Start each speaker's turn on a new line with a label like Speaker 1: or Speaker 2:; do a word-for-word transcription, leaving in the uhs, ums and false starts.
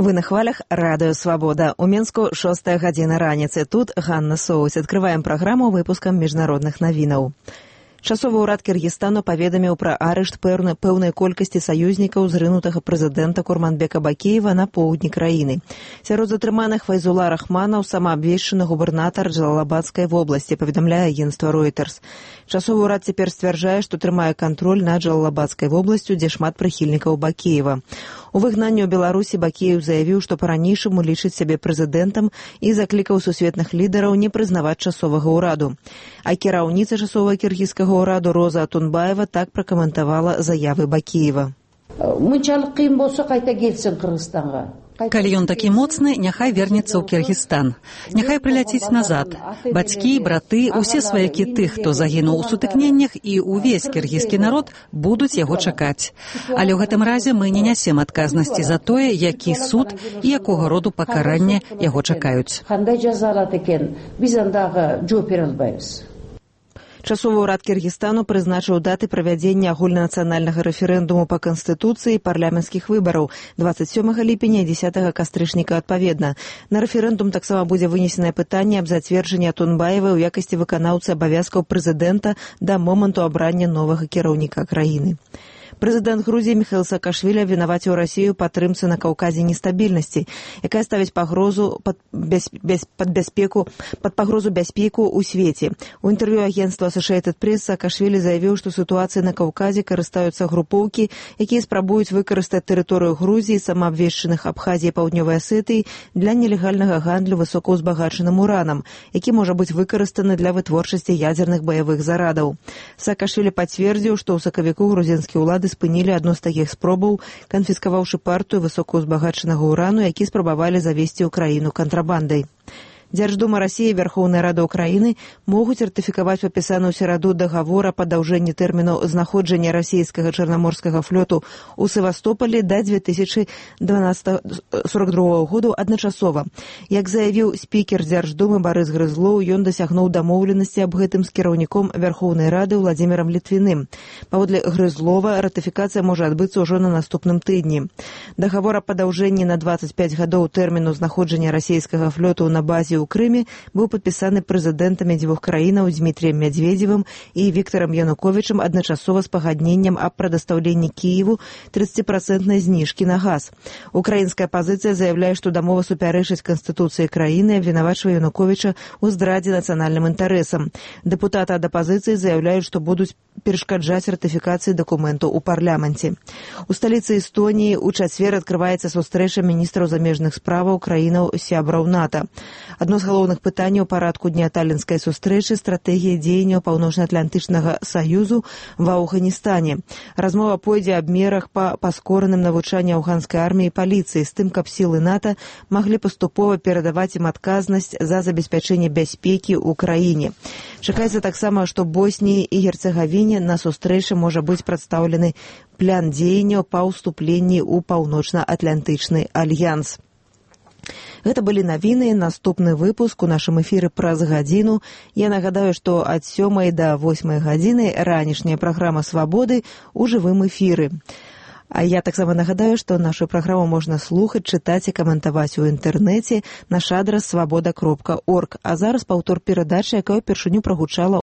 Speaker 1: Вы на хвалях радыё Свабода. У Мінску шостая гадзіна раніцы. Тут Ганна Соуць. Адкрываем праграму выпускам міжнародных навінаў. Часовы ўрад Кыргызстану паведаміў пра арышт пэўнай колькасці саюзнікаў зрынутага прэзідэнта Курманбека Бакеева на поўдні краіны. Сярод затрыманых Файзула Рахманаў самаабвешчаны губернатар Джалалабадскай вобласці, паведамляе агенцтва Reuters. Часовы ўрад цяпер сцвярджае, што трымае кантроль над Джалалабадскай вобласцю, дзе шмат прыхільнікаў Бакеева. У выгнанні ў Беларусі Бакеев заявіў, што па-ранейшаму лічыць сябе прэзідэнтам і заклікаў сусветных лідараў не прызнаваць часовага ўраду. А кіраўніца часовага кіргізскага ўраду Роза Атунбаева так пракаментавала заявы Бакеева.
Speaker 2: Мынчалык кыйын болсо кайта келсин Кыргызстанга.
Speaker 3: Калі ён такі моцны, няхай вернецца ў Кіргізстан. Няхай прыляціць назад. Бацькі, браты, усе сваякі тых, хто загінуў у сутыкненнях, і ўвесь кіргізскі народ будуць яго чакаць. Але ў гэтым разе мы не нясем адказнасці за тое, які суд і якога роду пакаранне яго чакаюць.
Speaker 1: Часовы ўрад Кыргызстану прызначыў даты правядзення агульнанацыянальнага рэферэндуму па канстытуцыі і парламенцкіх выбараў дваццаць сёмага ліпеня і дзесятага кастрычніка адпаведна. На рэферэндум таксама будзе вынесенае пытанне аб зацверджанні Атунбаевай у якасці выканаўцы абавязкаў прэзідэнта да моманту абрання новага кіраўніка краіны. Прэзідэнт Грузіі Міхаіл Саакашвілі абвінаваціў Расію патрымцы на Каўказе нестабільнасці, якая ставіць пагрозу пад, без, без, пад, бяспеку, пад пагрозу бяспеку ў свеце. У інтэрв'ю агенцтва Associated Press Саакашвілі заявіў, што сітуацыі на Каўказе карыстаюцца групоўкі, якія спрабуюць выкарыстаць тэрыторыю Грузіі, самаабвешчаных Абхазіі і Паўднёвай Асетыі для нелегальнага гандлю высокаўзбагачаным уранам, які можа быць выкарыстаны для вытворчасці ядзерных баявых зарадаў. Саакашвілі пацвердзіў, што ў сакавіку грузінскія ўлады спынілі адну з такіх спробаў, канфіскаваўшы партыю высокаўзбагачанага урану, які спрабавалі завесці ў краіну кантрабандай. Дзярждума Расіі і Вярхоўная Рада Ўкраіны могуць ратыфікаваць падпісаны ў сераду дагавор о падаўжэнні тэрміну знаходжання расійскага чарнаморскага флоту ў Севастополі да дзве тысячы сорок другога году адначасова. Як заявіў спікер Дзярждумы Барыс Грызлоў, ён дасягнуў дамоўленасці аб гэтым з кіраўніком Вярхоўнай Рады Владзімірам Літвіным. Паводле Грызлова, ратыфікацыя можа адбыцца ўжо на наступным тыдні. Дагавор о падаўжэнні на дваццаць пяць гадоў тэрміну знаходжання расійскага флоту на базе ў Крыме быў падпісаны прэзідэнтамі дзвюх краінаў Дмітрыем Мядзведзевым і Віктарам Януковічам адначасова з пагадненнем аб прадастаўленні Кіеву трыццаціпроцэнтнай зніжкі на газ. Украінская пазіцыя заяўляе, што дамова супярэчыць канстытуцыі краіны, абвінавачвае Януковіча ў здрадзе нацыянальным інтарэсам. Дэпутаты ад апазіцыі заяўляюць, што будуць перашкаджаць ратыфікацыі дакументу ў парламенце. У сталіцы Эстоніі ў чацвер адкрываецца сустрэча міністраў замежных справаў краінаў сябраў НАТО. Адно з галоўных пытанняў парадку дня талінскай сустрэчы – стратэгія дзеянняў Паўночна-Атлантычнага саюзу ва Афганістане. Размова пойдзе аб мерах па паскораным навучанні афганскай арміі і паліцыі з тым, каб сілы НАТО маглі паступова перадаваць ім адказнасць за забеспячэнне бяспекі ў краіне. Чакаецца таксама, што Боснії і Герцегавіне на сустрэчы можа быць прадстаўлены план дзеянняў па ўступленні ў Паўночна-Атлантычны альянс. Гэта былі навіны. Наступны выпуск у нашым эфіры праз гадзіну. Я нагадаю, што ад сёмай да восьмай гадзіны ранішняя праграма «Свабоды» у жывым эфіры. А я таксама нагадаю, што нашу праграму можна слухаць, чытаць і каментаваць у інтэрнэце. Наш адрас свабода кропка орг. А зараз паўтор перадачы, якая ўпершыню прагучала